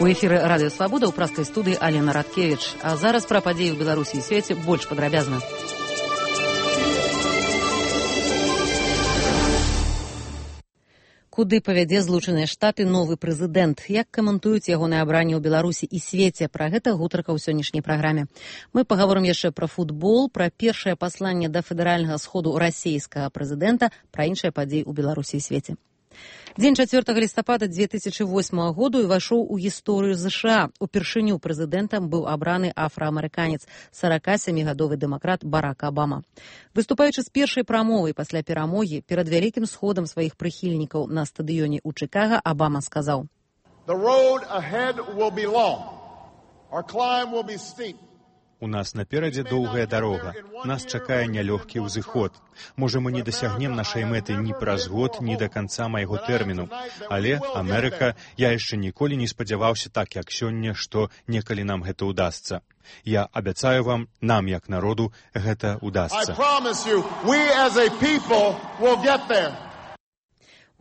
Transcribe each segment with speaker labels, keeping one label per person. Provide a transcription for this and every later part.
Speaker 1: У эфіры радыё Свабода ў праскай студыі Алена Радкевіч. А зараз пра падзеі ў Беларусі і свеце больш падрабязна. Куды павядзе Злучаныя Штаты новы прэзідэнт? Як каментуюць ягонае абранне ў Беларусі і свеце? Пра гэта гутарка ў сённяшняй праграме. Мы пагаворым яшчэ пра футбол, пра першае пасланне да федэральнага сходу расійскага прэзідэнта, пра іншыя падзеі ў Беларусі і свеце. Дзень 4 лістапада 2008 году ўвайшоў у гісторыю ЗША. Упершыню прэзідэнтам быў абраны афраамерыканец, 47-гадовы дэмакрат Барак Абама. Выступаючы з першай прамовай пасля перамогі перад вялікім сходам сваіх прыхільнікаў на стадыёне ў Чыкага, Абама сказаў:
Speaker 2: "The road ahead will be long. Our climb will be steep.
Speaker 3: У нас наперадзе доўгая дарога. Нас чакае нялёгкі ўзыход. Можа, мы не дасягнем нашай мэты ні праз год, ні да канца майго тэрміну. Але, Амерыка, я яшчэ ніколі не спадзяваўся так, як сёння, што некалі нам гэта ўдасца. Я абяцаю вам, нам, як народу, гэта ўдасца.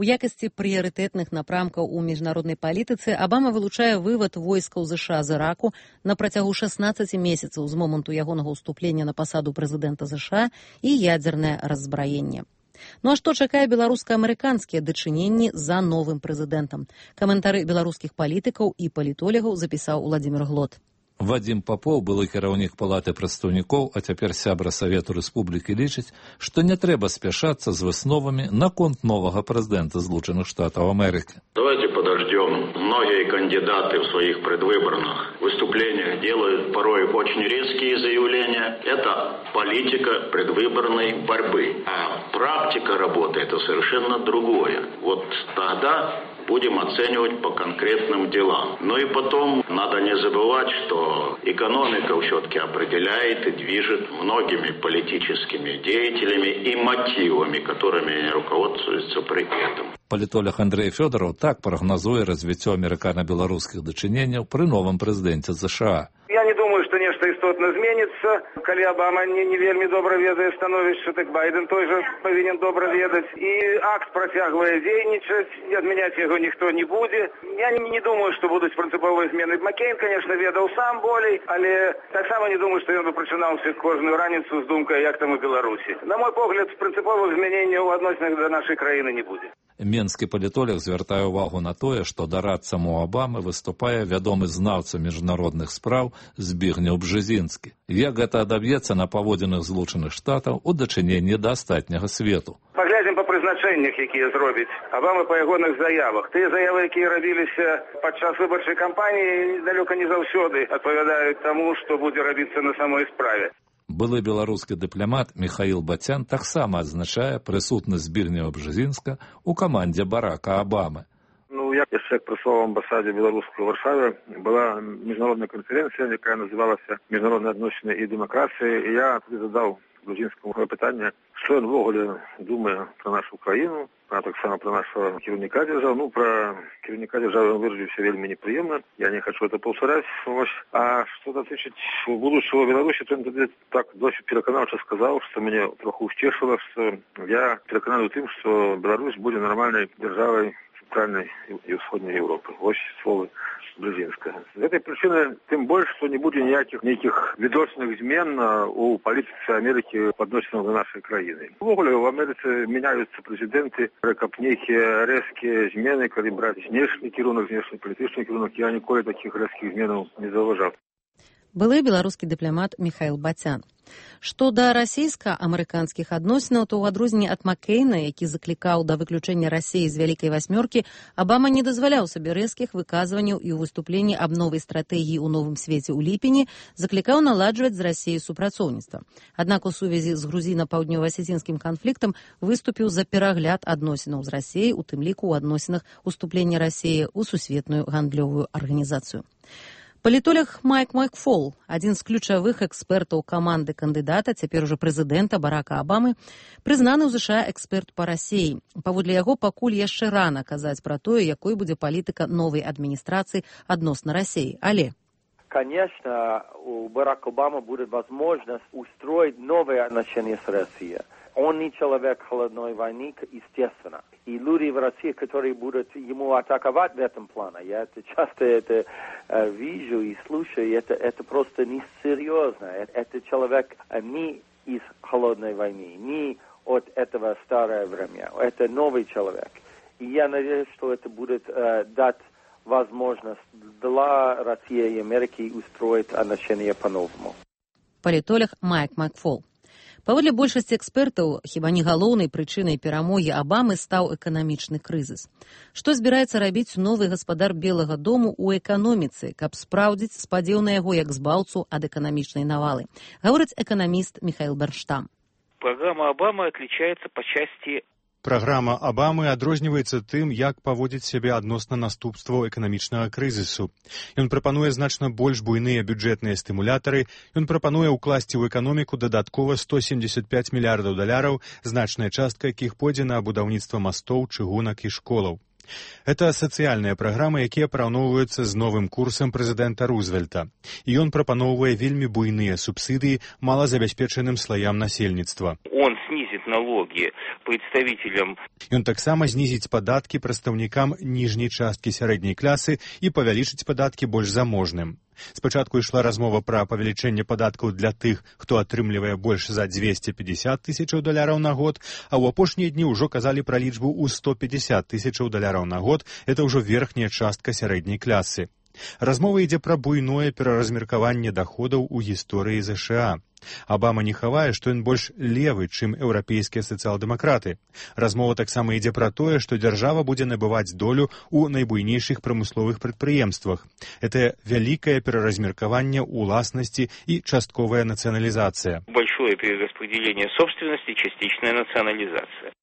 Speaker 1: У якасці прыярытэтных напрамкаў у міжнароднай палітыцы Абама вылучае вывад войскаў ЗША з Іраку на працягу 16 месяцаў з моманту ягонага ўступлення на пасаду прэзідэнта ЗША і ядзернае раззбраенне. Ну а што чакае беларуска-амерыканскія дачыненні за новым прэзідэнтам? Каментары беларускіх палітыкаў і палітолягаў запісаў Уладзімір Глот.
Speaker 4: Вадзім Папоў, былы кіраўнік палаты прадстаўнікоў, а цяпер сябра Савету Рэспублікі, лічыць, што не трэба спяшацца з высновамі наконт новага прэзідэнта Злучаных Штатаў Амерыкі.
Speaker 5: Давайте подождем. Многие кандидаты в своих предвыборных выступлениях делают порой очень резкие заявления. Это политика предвыборной борьбы. А практика работы – это совершенно другое. Вот тогда будем оценивать по конкретным делам. Ну и потом надо не забывать, что экономика все-таки определяет и движет многими политическими деятелями и мотивами, которыми они руководствуются при этом.
Speaker 4: Палітолог Андрей Фёдоров так прагназуе развіццё амерыкана-беларускіх дачыненняў пры новым прэзідэнце ЗША.
Speaker 6: Я не думаю, што нешта істотна зменіцца. Калі Абама не вельмі добра ведае становішча, так Байден той жа павінен добра ведаць. І акт працягвае дзейнічаць, і адмяняць яго ніхто не будзе. Я не думаю, што будуць прынцыповыя змены. Маккейн, конечно, ведаў сам болей, але таксама не думаю, што ён бы прачынаўся кожную раніцу з думкай, як там у Беларусі. На мой погляд, прынцыповых змяненняў у адносінах да нашай краіны не будзе.
Speaker 4: Менскі палітолог звяртае ўвагу на тое, што дарадцам у Абамы выступае вядомы знаўца міжнародных спраў Збігнеў Бжезінскі. Як гэта адаб'ецца на паводзінах Злучаных Штатаў у дачыненні да астатняга свету?
Speaker 6: Паглядзім па прызначэннях, якія зробіць Абама па ягоных заявах. Тыя заявы, якія рабіліся падчас выбарчай кампаніі, далёка не заўсёды адпавядаюць таму, што будзе рабіцца на самой справе.
Speaker 4: Былы беларускі дыпламат Міхаіл Бацян таксама адзначае прысутнасць Збігнева Бжезінска ў камандзе Барака Абамы.
Speaker 6: Я яшчэ працаваў в амбасаде беларускай у Варшаве. Была міжнародная канферэнцыя, якая называлася «Міжнародныя адносіны і дэмакрацыя». І я туды задаў Бжезінскаму пытанне, што ён ввогуле думае пра нашу краіну, таксама пра нашего кіраўніка дзяржавы. Пра кіраўніка дзяржавы ён выразіўся вельмі непрыемна. Я не хочу это паўтараць. А што датычыць будучага Беларусі, то ён тады так досыць пераканаўча сказаў, што мяне троху ўсцешыла, што я перакананы ў тым, што Беларусь будзе нармальнай дзяржавай цэнтральнай і ўсходняй Еўропы. Вось словы Бжезінскага. З гэтай прычыны тым больш, што не будзе нейкіх відочных змен у палітыцы Амерыкі па адносінах да нашай краіны. Увогуле ў Амерыцы мяняюцца прэзідэнты, каб нейкія рэзкія змены, калі браць знешні кірунак, знешнепалітычны кірунак, я ніколі такіх рэзкіх зменаў не заўважаў.
Speaker 1: Былы беларускі дыпламат Міхаіл Бацян. Што да расійска-амерыканскіх адносінаў, то ў адрозненне ад Маккейна, які заклікаў да выключэння Расіі з вялікай васьмёркі, Абама не дазваляў сабе рэзкіх выказванняў і ў выступленні аб новай стратэгіі ў новым свеце ў ліпені заклікаў наладжваць з Расіяй супрацоўніцтва. Аднак у сувязі з грузіна-паўднёва-асецінскім канфліктам выступіў за перагляд адносінаў з Расіяй, у тым ліку ў адносінах уступлення Расіі ў сусветную гандлёвую арганізацыю. Палітолог Майк Макфол, адзін з ключавых экспертаў каманды кандыдата, цяпер ужо прэзідэнта Барака Абамы, прызнаны ў ЗША эксперт па Расіі. Паводле яго, пакуль яшчэ рана казаць пра тое, якой будзе палітыка новай адміністрацыі адносна Расіі. Але
Speaker 7: Конечно, у Барака Обамы будет возможность устроить новые отношения с Россией. Он не человек холодной войны, естественно. И люди в России, которые будут ему атаковать в этом плане, я это часто вижу и слушаю, это просто несерьезно. Это человек не из холодной войны, не от этого старое время. Это новый человек. И я надеюсь, что это будет дать возможность для России и Америки устроить отношения по-новому.
Speaker 1: Палітолог Майк Макфол. Паводле большасці экспертаў, хіба не галоўнай прычынай перамогі Абамы стаў эканамічны крызіс. Што збіраецца рабіць новы гаспадар Белага дому ў эканоміцы, каб спраўдзіць спадзеў на яго як збаўцу ад эканамічнай навалы? Гаворыць эканаміст Михаил Бернштам.
Speaker 8: Программа Обамы отличается по части...
Speaker 3: Праграма Абамы адрозніваецца тым, як паводзіць сябе адносна наступстваў эканамічнага крызісу. Ён прапануе значна больш буйныя бюджэтныя стымулятары, ён прапануе ўкласці ў эканоміку дадаткова $175 мільярдаў, значная частка якіх пойдзе на будаўніцтва мастоў, чыгунак і школаў. Это сацыяльныя праграмы, якія параўноўваюцца з новым курсам прэзідэнта Рузвельта. І ён прапаноўвае вельмі буйныя субсідыі малазабяспечаным слаям насельніцтва.
Speaker 8: Он снизит налоги представителям.
Speaker 3: Ён таксама знізіць падаткі прадстаўнікам ніжняй часткі сярэдняй класы і павялічыць падаткі больш заможным. Спачатку ішла размова пра павелічэнне падаткаў для тых, хто атрымлівае больш за $250 тысячаў на год, а ў апошнія дні ўжо казалі пра лічбу ў $150 тысячаў на год. Это ўжо верхняя частка сярэдняй класы. Размова ідзе пра буйное пераразмеркаванне даходаў у гісторыі ЗША. Абама не хавае, што ён больш левы, чым еўрапейскія сацыял-дэмакраты. Размова таксама ідзе пра тое, што дзяржава будзе набываць долю ў найбуйнейшых прамысловых прадпрыемствах. Это вялікае пераразмеркаванне ўласнасці і частковая нацыяналізацыя.
Speaker 8: Большое перераспределение собственности, частичная национализация.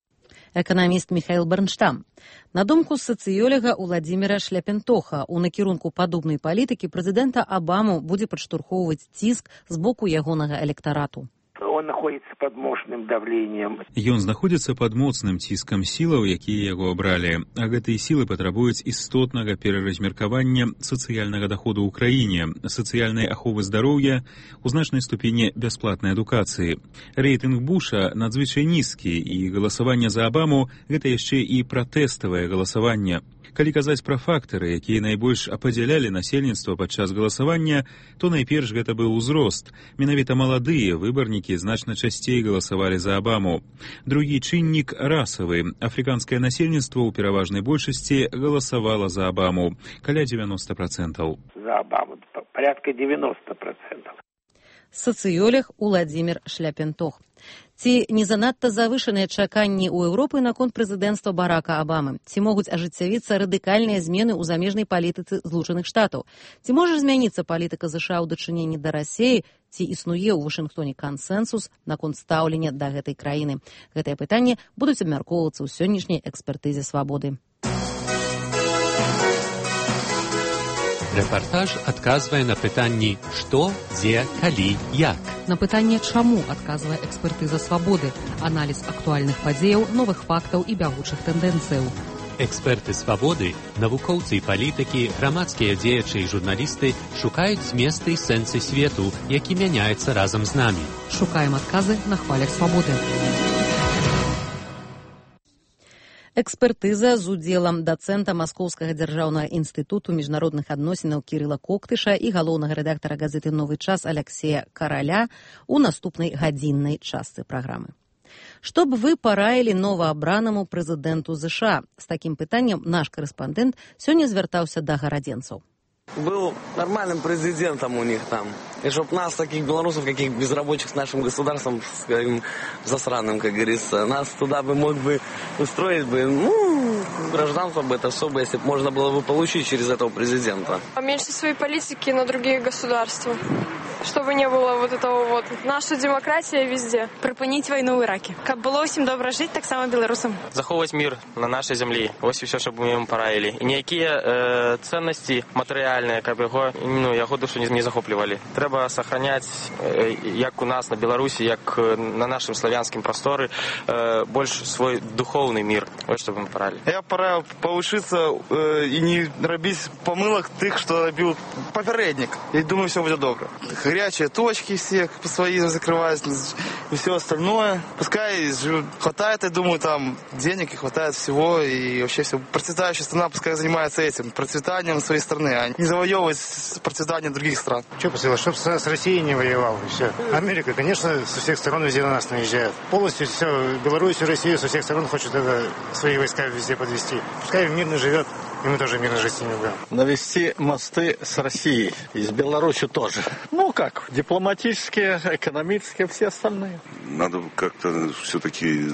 Speaker 1: Эканаміст Михаил Бернштам. На думку сацыёлага Уладзіміра Шляпентоха, у накірунку падобнай палітыкі прэзідэнта Абаму будзе падштурхоўваць ціск з боку ягонага электарату.
Speaker 9: Он находится под мощным давлением.
Speaker 10: Ён знаходзіцца пад моцным ціскам сілаў, якія яго абралі, а гэтыя сілы патрабуюць істотнага пераразмеркавання сацыяльнага даходу ў краіне, сацыяльнай аховы здароўя, у значнай ступені бясплатнай адукацыі. Рэйтынг Буша надзвычай нізкі, і галасаванне за Абаму – гэта яшчэ і пратэставае галасаванне. Калі казаць пра фактары, якія найбольш ападзялялі насельніцтва падчас галасавання, то найперш гэта быў узрост. Менавіта маладыя выбарнікі значна часцей галасавалі за Абаму. Другі чыннік расавы. Афрыканскае насельніцтва ў пераважнай большасці галасавала за Абаму, каля 90%.
Speaker 9: За Абаму, порядка 90%.
Speaker 1: Сацыёлог Уладзімір Шляпентох. Ці не занадта завышаныя чаканні ў Еўропы наконт прэзідэнцтва Барака Абамы? Ці могуць ажыццявіцца радыкальныя змены ў замежнай палітыцы Злучаных Штатаў? Ці можа змяніцца палітыка ЗША ў дачыненні да Расіі? Ці існуе ў Вашынгтоне кансэнсус наконт стаўлення да гэтай краіны? Гэтыя пытанні будуць абмяркоўвацца ў сённяшняй экспертызе «Свабоды».
Speaker 11: Рэпартаж адказвае на пытанні «Што, дзе, калі, як?».
Speaker 12: На пытанне «Чаму?» адказвае экспертыза «Свабоды», аналіз актуальных падзеяў, новых фактаў і бягучых тэндэнцыяў.
Speaker 11: Эксперты «Свабоды», навукоўцы і палітыкі, грамадскія дзеячы і журналісты шукаюць зместы і сэнсы свету, які мяняецца разам з намі.
Speaker 12: Шукаем адказы на хвалях «Свабоды».
Speaker 1: Экспертыза з удзелам дацэнта Маскоўскага дзяржаўнага інстытуту міжнародных адносінаў Кірыла Коктыша і галоўнага рэдактара газеты «Новы час» Аляксея Караля у наступнай гадзіннай частцы праграмы. Што б вы параілі новаабранаму прэзідэнту ЗША? З такім пытаннем наш карэспандэнт сёння звяртаўся да гарадзенцаў.
Speaker 13: Был нормальным президентом у них там. И чтоб нас, таких белорусов, каких безрабочих с нашим государством, скажем, засранным, как говорится, нас туда бы мог бы устроить бы, гражданство бы это все бы, если бы можно было бы получить через этого президента.
Speaker 14: Меньше своей политики на другие государства. чтобы не было вот этого вот. Наша демократия везде. Припинить войну в Ираке. Каб было всем добре жить, так само белорусам.
Speaker 15: Заховывать мир на нашей земле. Вот все, что мы ему пораили. И никакие ценности материальные, как бы его душу не захопливали. Треба сохранять, как у нас на Беларуси, как на нашем славянском просторе, больше свой духовный мир. Вот что мы пораили.
Speaker 16: Я пора повышиться и не робить помылок тех, что робил попередник. Я думаю, все будет добро. Горячие точки все свои закрывают и все остальное. Пускай хватает, я думаю, там денег и хватает всего. И вообще все. Процветающая страна пускай занимается этим, процветанием своей страны, а не завоевывать процветание других стран.
Speaker 17: Что посылать? Чтоб с Россией не воевал, и все. Америка, конечно, со всех сторон везде на нас наезжает. Полностью все, Белоруссию, Россию со всех сторон хочет свои войска везде подвести. Пускай мирно живет, и мы тоже мирно жить с ними будем.
Speaker 18: Навести мосты с Россией, и с Беларусью тоже. Ну как, дипломатические, экономические, все остальные.
Speaker 19: Надо как-то все-таки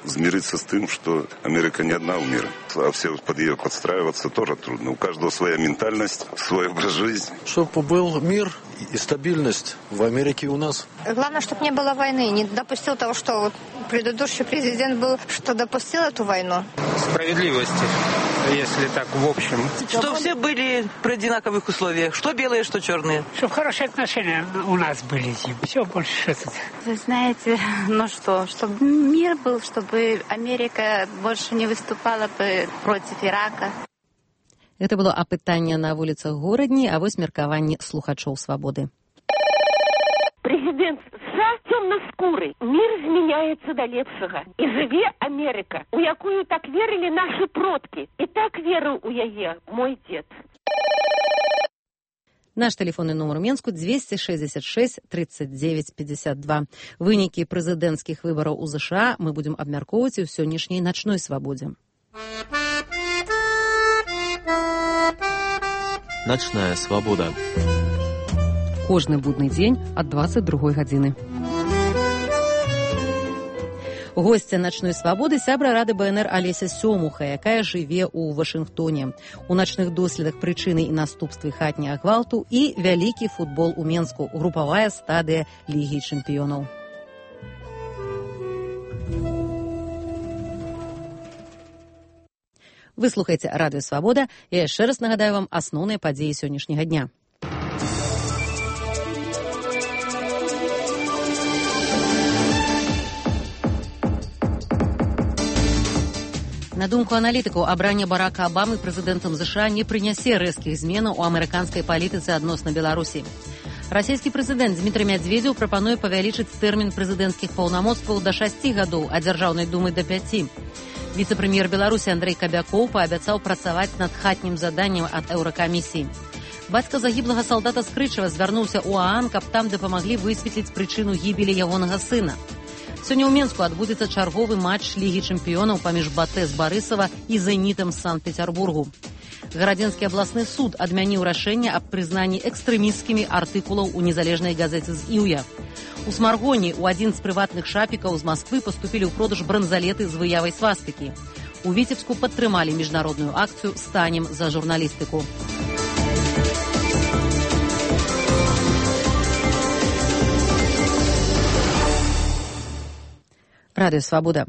Speaker 19: смириться с тем, что Америка не одна у мира. А все под ее подстраиваться тоже трудно. У каждого своя ментальность, свой образ жизни.
Speaker 20: Чтобы был мир и стабильность в Америке и у нас.
Speaker 21: Главное, чтобы не было войны. Не допустил того, что вот предыдущий президент был, что допустил эту войну.
Speaker 22: Справедливости, если так в общем.
Speaker 23: Чтобы все были при одинаковых условиях. Что белые, что черные.
Speaker 24: Чтобы хорошие отношения у нас были. Все больше что-то.
Speaker 25: Вы знаете, чтобы мир был, чтобы Америка больше не выступала бы против Ирака.
Speaker 1: Это было апытанне на вуліцах горадні, а вось меркаванне слухачоў свабоды.
Speaker 26: Президент США темно-скурый. Мир зменяется до лепшага. И живе Америка, у якую так верили наши продки. И так верил у яе мой дед.
Speaker 1: Наш тэлефонны нумар у Менску 266 39 52. Вынікі прэзідэнцкіх выбараў у США мы будзем абмяркоўваць у сённяшняй начной свабодзе.
Speaker 27: Ночная свобода.
Speaker 12: Кожны будны дзень ад 22 гадзіны.
Speaker 1: Гостя начной свабоды сябра рады БНР Алеся Сёмуха, якая жыве ў Вашынгтоне. У начных доследах прычыны і наступствы хатняга гвалту і вялікі футбол у Менску, групавая стадыя Лігі чэмпіёнаў. Вы слухаеце радыё Свабода. Я яшчэ раз нагадаю вам асноўныя падзеі сённяшняга дня. На думку аналітыкаў, абранне Барака Абамы прэзідэнтам США не прынясе рэзкіх зменаў у амерыканскай палітыцы адносна Беларусі. Расійскі прэзідэнт Дмітрый Мядзведзеў прапануе павялічыць тэрмін прэзідэнцкіх паўнамоцтваў да 6 гадоў, а дзяржаўнай думы да 5. Віцэ-прэм'ер Беларусі Андрэй Кабякоў паабяцаў працаваць над хатнім заданнем ад Еўракамісіі. Бацька загіблага салдата Скрычава звярнуўся ў ААН, каб там дапамаглі высветліць прычыну гібелі ягонага сына. Сёння ў Менску адбудзецца чарговы матч Лігі чэмпіёнаў паміж БАТЭ з Барысава і Зенітам з Санкт-Петербургу. Гарадзенскі абласны суд адмяніў рашэнне аб прызнанні экстрэмісцкімі артыкулаў у незалежнай газеце з Іўя. У Смаргоні ў адзін з прыватных шапікаў з Масквы паступілі ў продаж бранзалеты з выявай свастыкі. У Віцебску падтрымалі міжнародную акцыю «Станем за журналістыку». Радыё Свабода.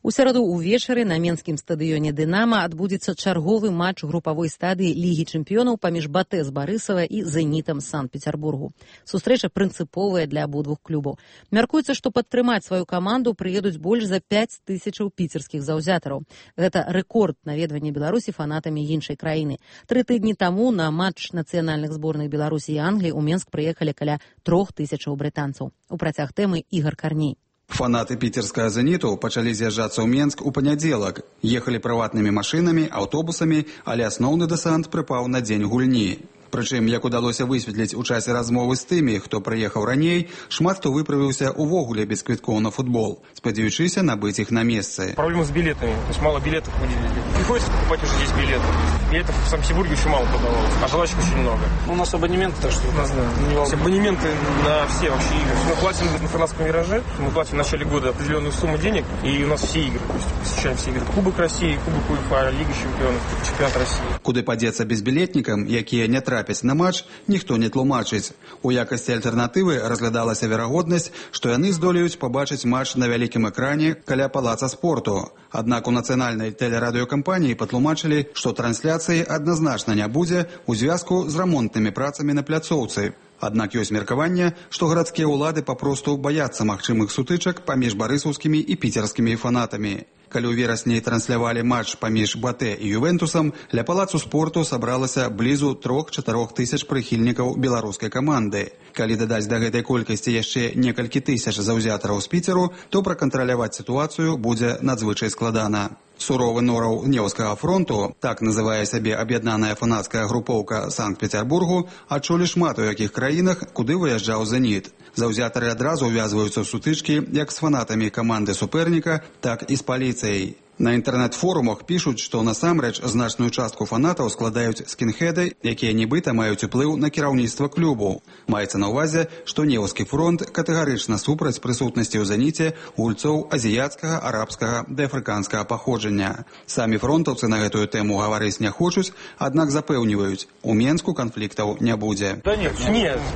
Speaker 1: У сераду ўвечары на менскім стадыёне «Дынама» адбудзецца чарговы матч групавой стадыі Лігі чэмпіёнаў паміж БАТЭ з Барысава і Зенітам з Санкт-Петербургу. Сустрэча прынцыповая для абодвух клубаў. Мяркуецца, што падтрымаць сваю каманду прыедуць больш за 5000 піцерскіх заўзятараў. Гэта рэкорд наведвання Беларусі фанатамі іншай краіны. 3 тыдні таму на матч нацыянальных зборных Беларусі і Англіі ў Менск прыехалі каля 3000 брытанцаў. У працяг тэмы Ігар Карней.
Speaker 28: Фанаты піцерскага «Зеніту» пачалі з'язджацца ў Менск у панядзелак. Ехалі прыватнымі машынамі, аўтобусамі, але асноўны дэсант прыпаў на дзень гульні. Прычым, як удалося высветліць у часе размовы з тымі, хто прыехаў раней, шмат хто выправіўся увогуле без квіткоў на футбол, спадзяючыся набыць іх на месцы.
Speaker 22: Проблема с билетами, то есть мало билетов выделили. Приходится покупать уже здесь билеты. Билетов в Санкт-Петербурге очень мало продавалось, а желающих очень много. У нас абонементы, так что абонементы на все вообще игры. Мы платим на фанатском вираже, мы платим в начале года определенную сумму денег, и у нас все игры, то есть посещаем все игры. Кубок России, Кубок УЕФА, Лига чемпионов, чемпионат России.
Speaker 28: Куды падзецца безбілетнікам, якія не трапілі трапіць на матч, ніхто не тлумачыць. У якасці альтэрнатывы разглядалася верагоднасць, што яны здолеюць пабачыць матч на вялікім экране каля палаца спорту. Аднак у нацыянальнай тэлерадыёкампаніі патлумачылі, што трансляцыі адназначна не будзе ў звязку з рамонтнымі працамі на пляцоўцы. Аднак ёсць меркаванне, што гарадскія ўлады папросту баяцца магчымых сутычак паміж барысаўскімі і піцерскімі фанатамі. Калі ў верасні транслявалі матч паміж БАТЭ і Ювентусам, ля палацу спорту сабралася блізу 3-4 тысяч прыхільнікаў беларускай каманды. Калі дадаць да гэтай колькасці яшчэ некалькі тысяч заўзятараў з Піцеру, то пракантраляваць сітуацыю будзе надзвычай складана. Суровы нораў Неўскага фронту, так называе сябе аб'яднаная фанацкая групоўка Санкт-Петербургу, адчулі шмат у якіх краінах, куды выязджаў «Зеніт». Заўзятары адразу ўвязваюцца ў сутычкі як з фанатамі каманды суперніка, так і з паліцыяй. На інтэрнэт-форумах пішуць, што насамрэч значную частку фанатаў складаюць скінхеды, якія нібыта маюць уплыў на кіраўніцтва клубу. Маецца на ўвазе, што Неўскі фронт катэгарычна супраць прысутнасці ў «Зеніце» гульцоў азіяцкага, арабскага ды афрыканскага паходжання. Самі фронтаўцы на гэтую тэму гаварыць не хочуць, аднак запэўніваюць, у Менску канфліктаў не будзе.
Speaker 22: Да нет,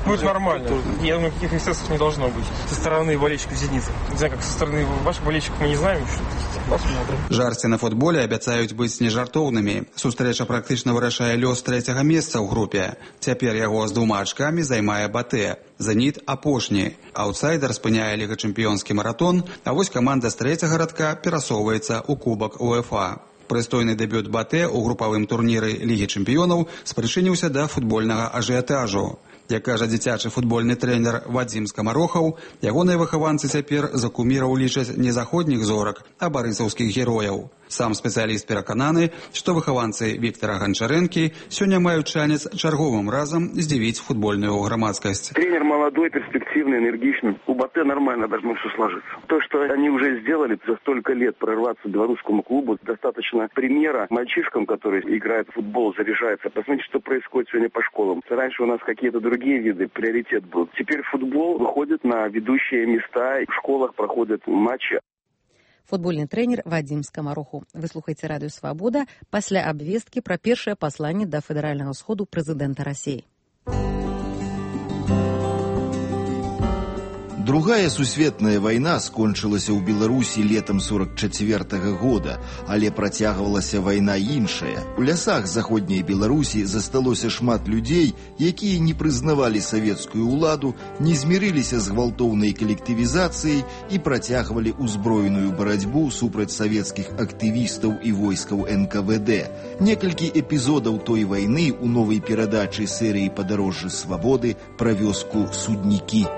Speaker 22: будет нормально. Я думаю, никаких эксцессов не должно быть со стороны болельщиков «Зеницы». Не знаю, как со стороны ваших болельщиков мы не знаем, что посмотрим.
Speaker 28: Жарсці на футболе абяцаюць быць нежартоўнымі. Сустрэча практычна вырашае лёс 3-го месца ў групе. Цяпер яго з 2 ачкамі займае БАТЭ. «Зеніт» апошні. Аўтсайдер спыняе лігачэмпіёнскі маратон, а вось каманда з 3-го радка перасоўваецца ў кубак УЕФА. Прыстойны дэбют БАТЭ ў групавым турніры Лігі чэмпіёнаў спрычыніўся да футбольнага ажыятажу. Як кажа дзіцячы футбольны трэнер Вадзім Скамарохаў, ягоныя выхаванцы цяпер за куміраў лічаць не заходніх зорак, а барысаўскіх герояў. Сам спецыяліст перакананы, што выхаванцы Віктора Гончарэнкі сёння маюць шанец чарговым разам здзівіць футбольную грамадскасць.
Speaker 2: Тренер молодой, перспективный, энергичный. У БАТЭ нормально должно все сложиться. То, что они уже сделали за столько лет, прорваться белорусскому клубу, достаточно примера мальчишкам, которые играют в футбол, заряжаются. Посмотрите, что происходит сегодня по школам. Раньше у нас какие-то другие виды, приоритет был. Теперь футбол выходит на ведущие места, в школах проходят матчи.
Speaker 1: Футбольны трэнер Вадзім Скамароху. Вы слухаеце радыё «Свабода» пасля абвесткі пра першае пасланне да федэральнага сходу прэзідэнта Расіі.
Speaker 3: Другая сусветная вайна скончылася ў Беларусі летам 44-го года, але працягвалася вайна іншая. У лясах заходняй Беларусі засталося шмат людзей, якія не прызнавалі савецкую ўладу, не змірыліся з гвалтоўнай калектывізацыяй і працягвалі ўзброеную барацьбу супраць савецкіх актывістаў і войскаў НКВД. Некалькі эпізодаў той вайны ў новай перадачы серыі «Падарожжы свабоды» пра вёску Суднікі.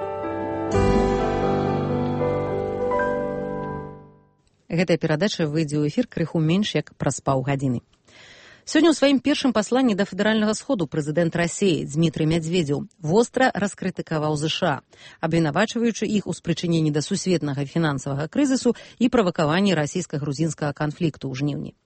Speaker 1: Гэтая перадача выйдзе ў эфір крыху менш як праз паўгадзіны. Сёння ў сваім першым пасланні да федэральнага сходу прэзідэнт Расіі Дзмітрый Мядзведзеў востра раскрытыкаваў ЗША, абвінавачваючы іх у спрычыненні да сусветнага фінансавага крызісу і правакаванні расійска-грузінскага канфлікту ў жніўні.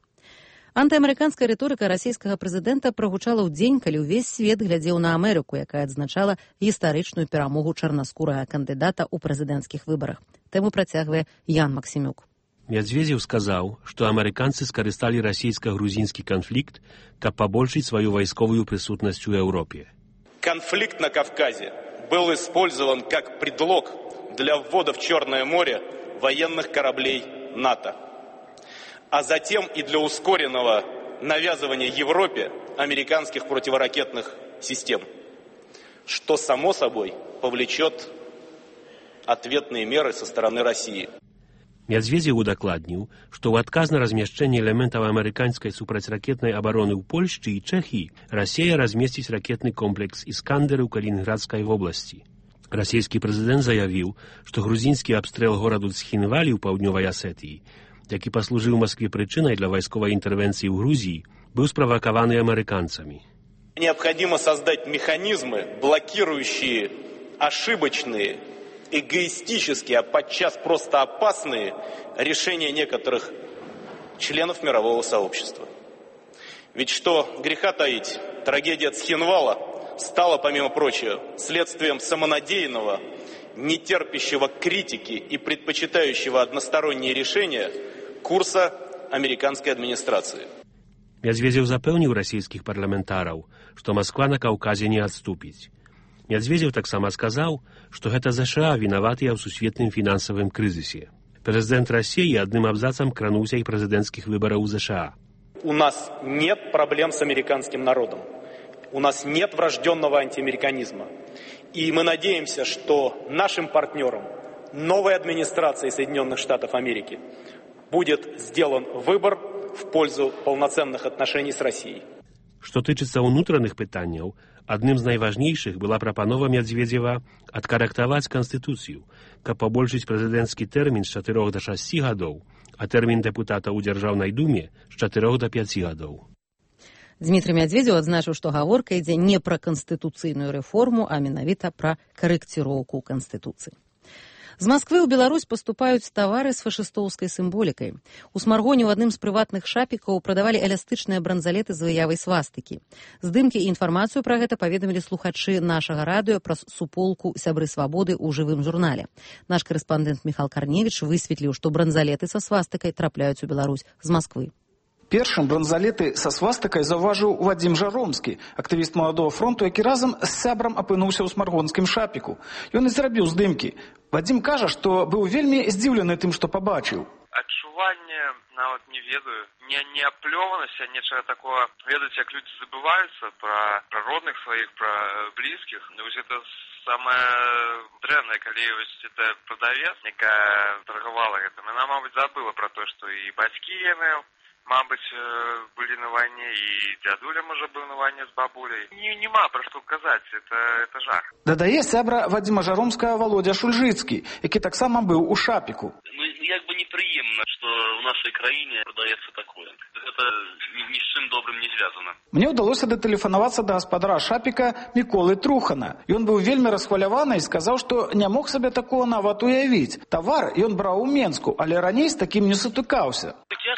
Speaker 1: Антыамерыканская рыторыка расійскага прэзідэнта прагучала ў дзень, калі ўвесь свет глядзеў на Амерыку, якая адзначала гістарычную перамогу чарнаскурага кандыдата ў прэзідэнцкіх выбарах. Тэму працягвае Ян Максімюк.
Speaker 4: Мядзведзеў сказаў, што амерыканцы скарысталі расійска-грузінскі канфлікт, каб пабольшыць сваю вайсковую прысутнасць у Европе.
Speaker 5: Конфликт на Кавказе был использован как предлог для ввода в Черное море военных кораблей НАТО, а затем и для ускоренного навязывания Европе американских противоракетных систем, что, само собой, повлечет ответные меры со стороны России.
Speaker 4: Мядзведзеў удакладніў, што ў адказ на размяшчэнне элементаў амерыканскай супрацьракетнай абароны ў Польшчы і Чэхіі Расія размесціць ракетны комплекс «Іскандер» у Калінінградскай вобласці. Расійскі прэзідэнт заявіў, што грузінскі абстрэл гораду Цхінвалі ў паўднёвай Асетыі, які паслужыў Маскве прычынай для вайсковай интервенции в Грузии, был спровокован американцами.
Speaker 5: Необходимо создать механизмы, блокирующие ошибочные, эгоистические, а подчас просто опасные решения некоторых членов мирового сообщества. Ведь что греха таить, трагедия Цхинвала стала, помимо прочего, следствием самонадеянного, нетерпящего критики и предпочитающего односторонние решения курса американской администрации.
Speaker 4: Мядзведзеў запэўніў расійскіх парламентараў, што Масква на Каўказе не адступіць. Мядзведзеў таксама сказаў, што гэта ЗША вінаватыя ў сусветным фінансавым крызісе. Прэзідэнт Расіі адным абзацам крануўся і прэзідэнцкіх выбараў у ЗША.
Speaker 5: У нас нет проблем с американским народом. У нас нет врожденного антиамериканизма. И мы надеемся, что нашим партнерам новой администрации Соединенных Штатов Америки будет сделан выбор в пользу полноценных отношений с Россией.
Speaker 4: Што тычыцца ўнутраных пытанняў, адным з найважнейшых была прапанова Мядзведзева адкарэктаваць Канстытуцыю, каб пабольшыць прэзідэнцкі тэрмін з 4 до 6 гадоў, а тэрмін дэпутата ў Дзяржаўнай думе з 4 до 5 гадоў.
Speaker 1: Дмітрый Мядзведзеў адзначыў, што гаворка ідзе не пра канстытуцыйную рэформу, а менавіта пра карэкціроўку Канстытуцыі. З Масквы ў Беларусь паступаюць тавары з фашыстоўскай сімволікай. У Смаргоне ў адным з прыватных шапікаў прадавалі эластычныя бранзалеты з выявай свастыкі. Здымкі і інфармацыю пра гэта паведамілі слухачы нашага радыё праз суполку «Сябры свабоды» ў жывым журнале. Наш карэспандэнт Міхал Карневіч высветліў, што бранзалеты са свастыкай трапляюць у Беларусь з Масквы.
Speaker 6: Першым бранзалеты са свастыкай заўважыў Вадзім Жаромскі, актывіст Маладога фронту, які разам з сябрам апынуўся ў смаргонскім шапіку. Ён і зрабіў здымкі. Вадзім кажа, што быў вельмі здзіўлены тым, што пабачыў.
Speaker 7: Адчуванне, нават не ведаю, не аплёванасць, а нечага такого. Ведаць, як людзі забываюцца пра родных сваіх, пра блізкіх. Вось это самае дрэннае, калі это прадавец, якая торгавала гэтым. Яна, мабыць, забыла пра тое, што і бацькі яны, мабыць, былі на вайне, і дзядуля, можа, быў на вайне з бабуляй. Нема пра што казаць, это жах.
Speaker 6: Дадае сябра Вадзіма Жаромскага Володя Шульжыцкі, які таксама быў у шапіку.
Speaker 8: Як бы непрыемна, што ў нашай краіне прадаецца такое. Гэта ні з чым добрым не звязана.
Speaker 6: Мне ўдалося датэлефанавацца да гаспадара шапіка Міколы Трухана. Ён быў вельмі расхваляваны і сказаў, што не мог сабе такого нават уявіць. Тавар ён браў у Менску, але раней з такім не сутыкаўся.
Speaker 8: Я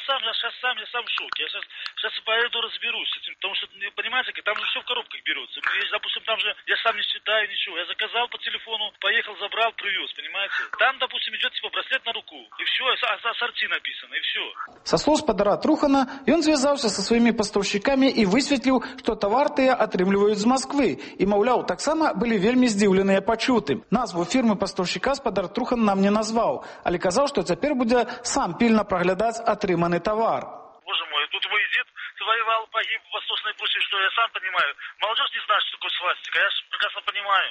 Speaker 8: сам в шоке. Я сейчас пойду разберусь с этим, потому что, понимаете, там же все в коробках берется. Допустим, там же я сам не считаю ничего. Я заказал по телефону, поехал, забрал, привез, понимаете. Там, допустим, идет типа браслет на руку, и все, ассорти написано, и все.
Speaker 6: Со слов гаспадара Трухана, ён звязаўся са сваімі пастаўшчыкамі і высветліў, што тавар тыя атрымліваюць з Масквы. І, маўляў, таксама былі вельмі здзіўленыя пачутым. Назву фірмы пастаўшчыка гаспадар Трухан нам не назваў, але казаў, што цяпер будзе сам пільна праглядаць атрыманы тавар.
Speaker 8: Боже мой, тут мой дед воевал, погиб в Восточной Пруссии, что я сам понимаю. Молодежь не знает, что такое свастика, я же прекрасно понимаю.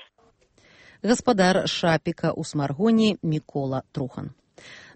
Speaker 1: Гаспадар шапіка ў Смаргоне Мікола Трухан.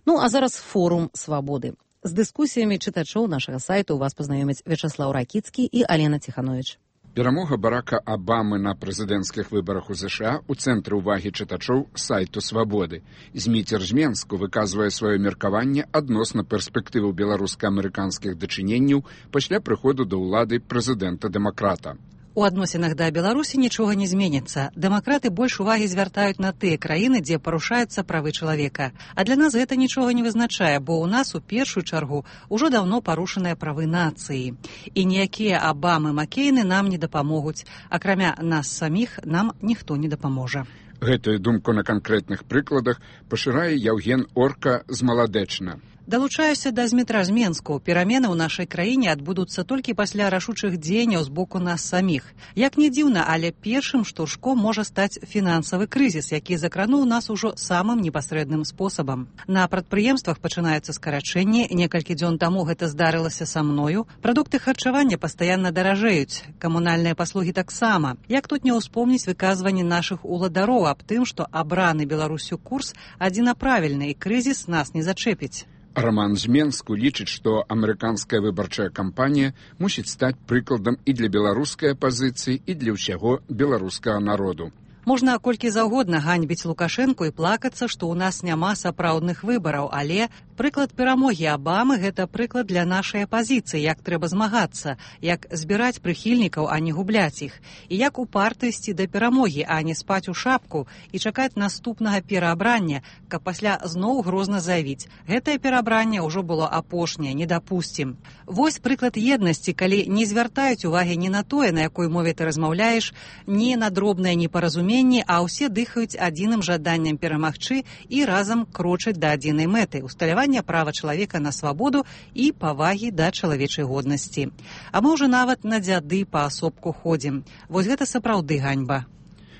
Speaker 1: Ну, а зараз форум свабоды. З дыскусіямі чытачоў нашага сайту вас пазнаёмяць Вячаслаў Ракіцкі і Алена Ціхановіч.
Speaker 9: Перамога Барака Абамы на прэзідэнцкіх выбарах у ЗША ў цэнтры ўвагі чытачоў сайту «Свабоды». Зміцер з Менску выказвае сваё меркаванне адносна перспектываў беларуска-амерыканскіх дачыненняў пасля прыходу да ўлады прэзідэнта-дэмакрата.
Speaker 12: У адносінах да Беларусі нічога не зменіцца. Дэмакраты больш увагі звяртаюць на тыя краіны, дзе парушаюцца правы чалавека. А для нас гэта нічога не вызначае, бо ў нас у першую чаргу ўжо даўно парушаныя правы нацыі. І ніякія Абамы, Маккейны нам не дапамогуць. Акрамя нас саміх нам ніхто не дапаможа.
Speaker 9: Гэтую думку на канкрэтных прыкладах пашырае Яўген Орка з Маладэчна.
Speaker 12: Далучаюся да Змітра з Менску. Перамены ў нашай краіне адбудуцца толькі пасля рашучых дзеянняў з боку нас саміх. Як не дзіўна, але першым штуршком можа стаць фінансавы крызіс, які закрануў нас ужо самым непасрэдным спосабам. На прадпрыемствах пачынаюцца скарачэнні. Некалькі дзён таму гэта здарылася са мною. Прадукты харчавання пастаянна даражэюць. Камунальныя паслугі таксама. Як тут не ўспомніць выказванні нашых уладароў аб тым, што абраны Беларусю курс адзінаправільны і крызіс нас не зачэпіць.
Speaker 9: Роман з Менску лічыць, што амерыканская выбарчая кампанія мусіць стаць прыкладам і для беларускай апазіцыі, і для ўсяго беларускага народу.
Speaker 12: Можна колькі заўгодна ганьбіць Лукашэнку і плакацца, што ў нас няма сапраўдных выбараў, але прыклад перамогі Абамы – гэта прыклад для нашай апазіцыі, як трэба змагацца, як збіраць прыхільнікаў, а не губляць іх, і як упарта ісці да перамогі, а не спаць у шапку і чакаць наступнага пераабрання, каб пасля зноў грозна заявіць. Гэтае пераабранне ўжо было апошняе, не дапусцім. Вось прыклад еднасці, калі не звяртаюць увагі ні на тое, на якой мове ты размаўляеш, ні на дробнае непаразуменне, непаразуменні, а ўсе дыхаюць адзіным жаданнем перамагчы і разам крочаць да адзінай мэты – усталявання права чалавека на свабоду і павагі да чалавечай годнасці. А мы ўжо нават на дзяды паасобку ходзім. Вось гэта сапраўды ганьба.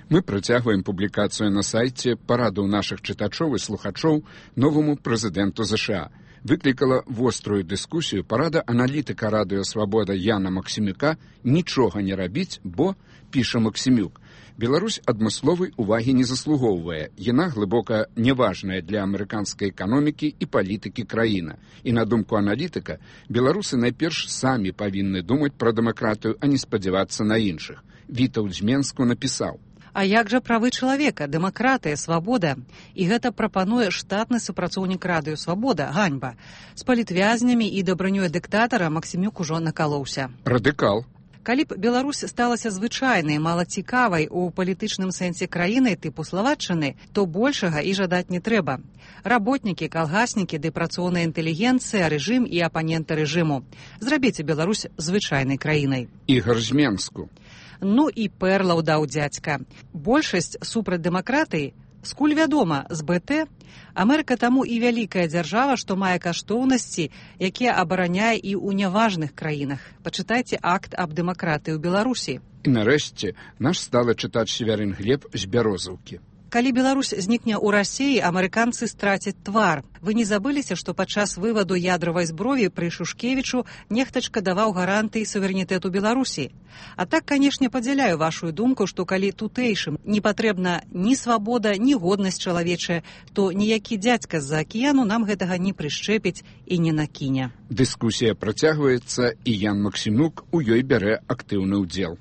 Speaker 9: Мы працягваем публікацыю на сайце параду нашых чытачоў і слухачоў новаму прэзідэнту ЗША. Выклікала вострую дыскусію парада аналітыка радыё «Свабода» Яна Максімюка «Нічога не рабіць, бо», піша Максімюк, Беларусь адмысловай увагі не заслугоўвае. Яна глыбока неважная для амерыканскай эканомікі і палітыкі краіна. І на думку аналітыка, беларусы найперш самі павінны думаць пра дэмакратыю, а не спадзявацца на іншых. Вітаўт з Менску напісаў:
Speaker 12: А як жа правы чалавека, дэмакратыя, свабода? І гэта прапануе штатны супрацоўнік радыё «Свабода» ганьба. З палітвязнямі і дабранёй дыктатара Максімюк ужо накалоўся.
Speaker 9: Радыкал.
Speaker 12: Калі б Беларусь сталася звычайнай, малацікавай у палітычным сэнсе краінай тыпу Славатчыны, то большага і жадаць не трэба. Работнікі, калгаснікі ды працоўная інтэлігенцыя, рэжым і апаненты рэжыму. Зрабіце Беларусь звычайнай краінай.
Speaker 9: Ігар з Менску.
Speaker 12: Ну і пэрлаў даў дзядзька. Большасць супраць дэмакратыі, скуль вядома, з БТ. Амерыка таму і вялікая дзяржава, што мае каштоўнасці, якія абараняе і ў няважных краінах. Пачытайце акт аб дэмакратыі ў Беларусі.
Speaker 9: І нарэшце наш сталы чытач Севярын Глеб з Бярозаўкі.
Speaker 12: Калі Беларусь знікне ў Расіі, амерыканцы страцяць твар. Вы не забыліся, што падчас вываду ядравай зброі пры Шушкевічу нехтачка даваў гарантыі суверэнітэту Беларусі. А так, канешне, падзяляю вашу думку, што калі тутэйшым не патрэбна ні свабода, ні годнасць чалавечая, то ніякі дзядзька з-за акіяну нам гэтага не прышчэпіць і не накіне.
Speaker 9: Дыскусія працягваецца, і Ян Максімюк у ёй бярэ актыўны ўдзел.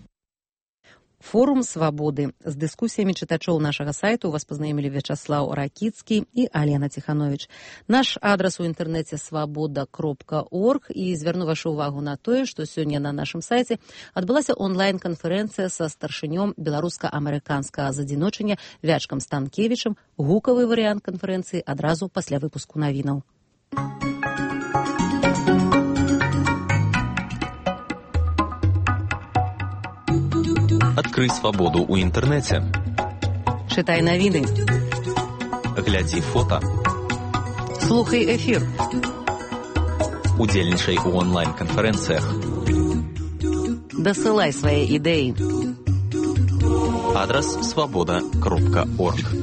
Speaker 1: Форум «Свабоды». З дыскусіямі чытачоў нашага сайту вас пазнаёмілі Вячаслаў Ракіцкі і Алена Ціхановіч. Наш адрас у інтэрнэце свабода.орг, і звярну вашу ўвагу на тое, што сёння на нашым сайце адбылася онлайн-канферэнцыя са старшынём беларуска-амерыканскага задзіночання Вячкам Станкевічам. Гукавы варыянт канферэнцыі адразу пасля выпуску навінаў.
Speaker 27: Адкрый свабоду ў інтэрнэце.
Speaker 1: Чытай навіны.
Speaker 27: Глядзі фота.
Speaker 1: Слухай эфір.
Speaker 27: Удзельнічай у онлайн-канферэнцыях.
Speaker 1: Дасылай свае ідэі.
Speaker 27: Адрас свабода.орг.